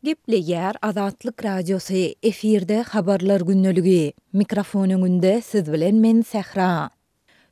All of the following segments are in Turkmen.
Gepleýär Azatlyk Radiosy, efirde Habarlar gündeligi. Mikrofon öňünde siz bilen men Sähra.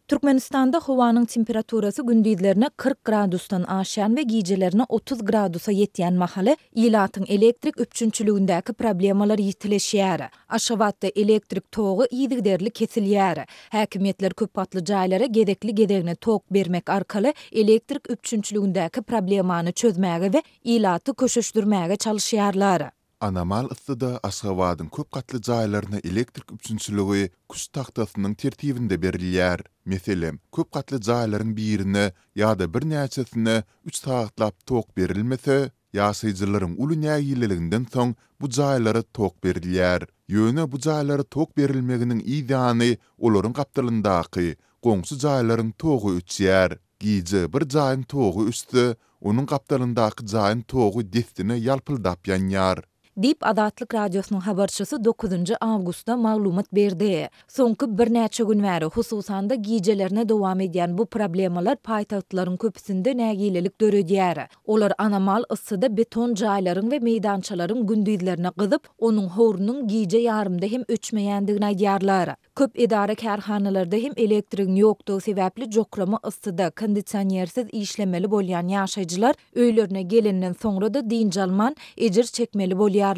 Türkmenistanda howanyň temperaturasy gündizlerine 40 gradusdan aşýan we gijelerine 30 gradusa ýetýän mahaly ilatyň elektrik üpjünçiligindäki problemalar ýitileşýär. Aşgabatda elektrik togy yzygiderli kesilýär. Häkimiýetler köp gatly jaýlara gezekli-gezegine tok bermek arkaly elektrik üpjünçiligindäki problemany çözmäge we ilaty köşeşdirmäge çalyşýarlar. Anomal yssyda Aşgabadyň köp gatly jaýlaryna elektrik üpjünçiligi küşt tagtasynyň tertibinde berilýär. Meselem, köp gatly jaýlaryň birine ýa-da birnäçesine üç sagatlap tok berilmese, ýaşaýjylaryň uly nägileliginden soň bu jaýlara tok berilýär. Ýöne bu jaýlara tok berilmeginiň yz ýany olaryň gapdalyndaky goňşy jaýlaryň togy öçýär. Gije bir jaýyň togy öçse, onuň gapdalyndaky jaýyň togy dessine ýalpyldap ýanýar. Diýip, Azatlyk Radiosynyň habarçysy dokuzynjy awgustda maglumat berdi. Soňky birnäçe gün bäri, hususan-da, gijelerine dowam edýän bu problemalar paýtagtlaryň köpüsinde nägilelik döredýär. Olar anomal yssyda beton jaýlaryň we meýdançalaryň gündizlerine gyzyp, onuň howrunyň gije ýarymda hem öçmeýändigini aýdýarlar. Köp edara-kärhanalarda hem elektrigiň ýokdugy sebäpli jokrama yssyda, kondisionersiz işlemeli bolýan ýaşaýjylar öýlerine gelenden soňra-da dynç alman, ejir çekmeli bolýarlar.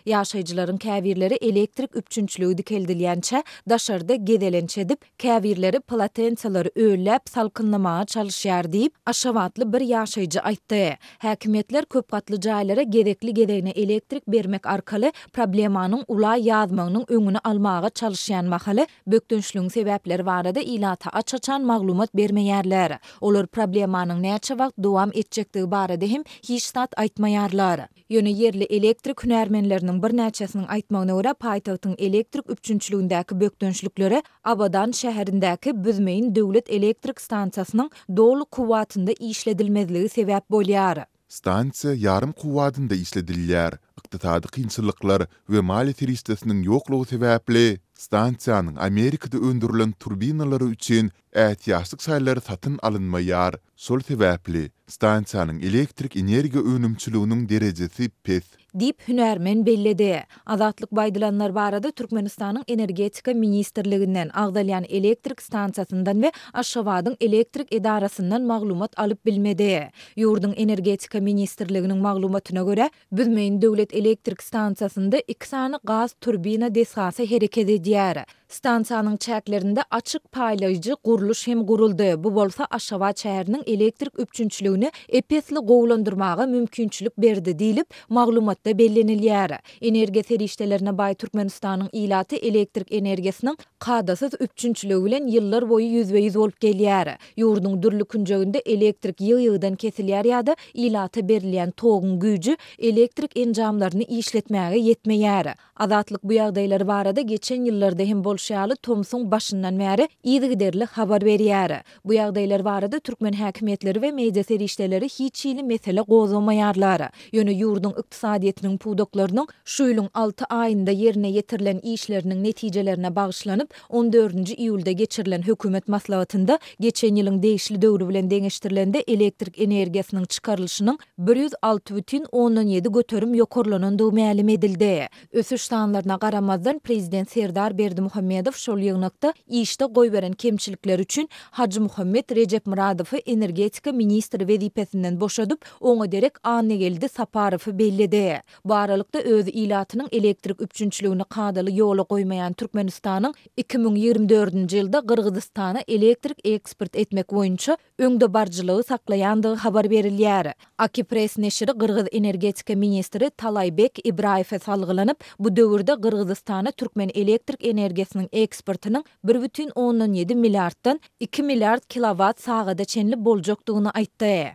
Ýaşaýjylaryň käbirleri elektrik üpjünçiligi dikeldilýänçä daşarda gezelenç edip, käbirleri polotensalary ölläp salkynlamaga çalyşýar diýip, aşgabatly bir ýaşaýjy aýtdy. Häkimiýetler köp gatly jaýlara gezekli-gezegine elektrik bermek arkaly problemanyň ula ýazmagynyň öňüni almaga çalyşýan mahaly, bökdençligiň sebäpleri barada ilata aç-açan maglumat bermeýärler. Olar problemanyň näçe wagt dowam etjekdigi barada hem hiç zat aýtmaýarlar. Ýöne ýerli elektrik hünärmenleriniň birnäçesiniň aýtmagyna görä, paýtagtyň elektrik üpjünçiligindäki bökdençliklere Abadan şäherindäki Büzmeýin döwlet elektrik stansiýasynyň doly kuwwatynda işledilmezligi sebäp bolýar. Stansiýa ýarym kuwwadynda işledilýär. Ykdysady kynçylyklar we maliýe serişdesiniň ýoklugy sebäpli, stansiýanyň Amerikada öndürilen turbinalary üçin ätiýaçlyk şaýlary satyn alynmaýar. Şol sebäpli, stansiýanyň elektrik energiýa önümçiliginiň derejesi pes. Diýip, hünärmen belledi. Azatlyk bu aýdylanlar barada Türkmenistanyň Energetika ministrliginden, agzalýan elektrik stansiýasyndan we Aşgabadyň elektrik edarasyndan maglumat alyp bilmedi. Ýurduň Energetika ministrliginiň maglumatyna görä, Büzmeýin döwlet elektrik stansiýasynda iki sany gaz turbina desgasy hereket edýär. Stansiýanyň çäklerinde açyk paýlaýjy gurluş hem guruldy, bu bolsa Aşgabat şäheriniň elektrik üpjünçiligini ep-esli gowulandyrmaga mümkinçilik berdi diýlip, maglumatda bellenilýär. Energiýa serişdelerine baý Türkmenistanyň ilaty elektrik energiýasynyň kadasyz üpjünçiligi bilen ýyllar boýy ýüzbe-ýüz bolup gelýär. Ýurduň dürli künjeginde elektrik ýygy-ýygydan kesilýär ýa-da ilata berilýän toguň güýji elektrik enjamlaryny işletmäge ýetmeýär. Azatlyk bu ýagdaýlar barada geçen ýyllarda hem bolşy ýaly tomsuň başyndan bäri yzygiderli habar berýär. Bu ýagdaýlar barada türkmen häkimiýetleri we media serişdeleri hiç hili mesele gozgamaýarlar. Ýöne ýurduň ykdysadyýetiniň pudaklarynyň şu ýylyň alty aýynda ýerine ýetirilen işleriniň netijelerine bagyşlanyp, on dördünji iýulda geçirilen hökümet maslahatynda geçen ýylyň degişli döwri bilen deňeşdirilende elektrik energiýasynyň çykarylyşynyň 106,7% ýokarlanandygy mälim edildi. Ösüş sanlaryna garamazdan, prezident Serdar Berdimuhamedow şol ýygnakda işde goýberen kemçilikleri üçin Hajymuhammet Rejepmyradowy energetika ministri wezipesinden boşadyp, oňa derek Annageldi Saparowy belledi. Bu aralykda, öz ilatynyň elektrik üpjünçiligini kadaly ýola goýmaýan Türkmenistanyň 2024-nji ýylda Gyrgyzystana elektrik eksport etmek boýunça öňdebaryjylygy saklaýandygy habar berilýär. Akipress neşiri gyrgyz energetika ministri Talaýbek Ibraýewe salgylanyp, bu döwürde Gyrgyzystana türkmen elektrik energiýasynyň eksportynyň 1,7 milliarddan iki milliard kilowat sagada çenli boljakdygyny aýtdy.